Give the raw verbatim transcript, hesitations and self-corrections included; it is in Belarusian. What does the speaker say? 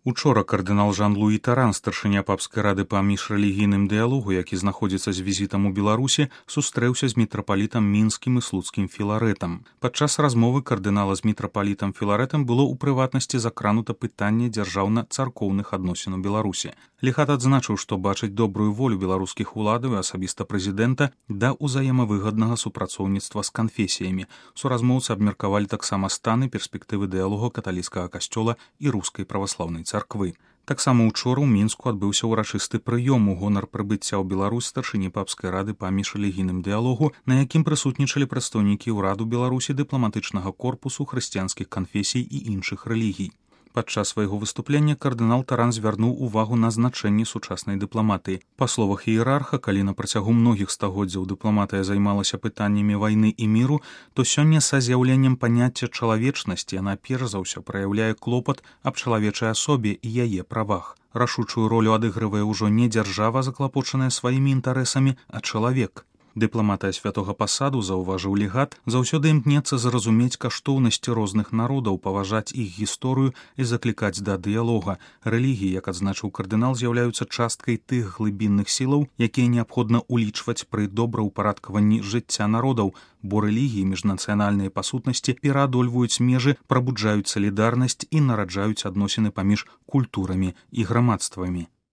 Учора кардынал Жан-Луі Таран, старшыня папскай рады па міжрэлігійным дыялогу, які знаходзіцца з візітам у Беларусі, сустрэўся з мітрапалітам мінскім і слуцкім Філарэтам. Падчас размовы кардынала з мітрапалітам Філарэтам было ў прыватнасці закранута пытанне дзяржаўна-царкоўных адносін у Беларусі. Легат адзначыў, што бачыць добрую волю беларускіх уладаў і асабіста прэзідэнта да ўзаемавыгаднага супрацоўніцтва з канфесіямі. Суразмоўцы абмеркавалі таксама стан і перспектывы дыялогу каталіцкага касцёла і рускай праваслаўнай царквы. Таксама учора ў Мінску адбыўся ўрачысты прыём у гонар прыбыцця ў Беларусь старшыні папскай рады па міжрэлігійным дыялогу, на якім прысутнічалі прадстаўнікі ўраду Беларусі, дыпламатычнага корпусу, хрысціянскіх канфесій і іншых рэлігій. Падчас свайго выступлення кардынал Таран звярнуў увагу на значэнне сучаснай дыпламатыі. Па словах іерарха, калі на працягу многіх стагоддзяў дыпламатыя займалася пытаннямі вайны і міру, то сёння са з'яўленнем паняцця чалавечнасці яна перш за ўсё праяўляе клопат аб чалавечай асобе і яе правах. Рашучую ролю адыгрывае ўжо не дзяржава, заклапочаная сваімі інтарэсамі, а чалавек. Дыпламатыя святога пасаду, заўважыў легат, заўсёды імкнецца зразумець каштоўнасці розных народаў, паважаць іх гісторыю і заклікаць да дыялога. Рэлігіі, як адзначыў кардынал, з'яўляюцца часткай тых глыбінных сілаў, якія неабходна ўлічваць пры добраўпарадкаванні жыцця народаў, бо рэлігіі міжнацыянальныя па сутнасці пераадольваюць межы, прабуджаюць салідарнасць і нараджаюць адносіны паміж культурамі і грамадствамі.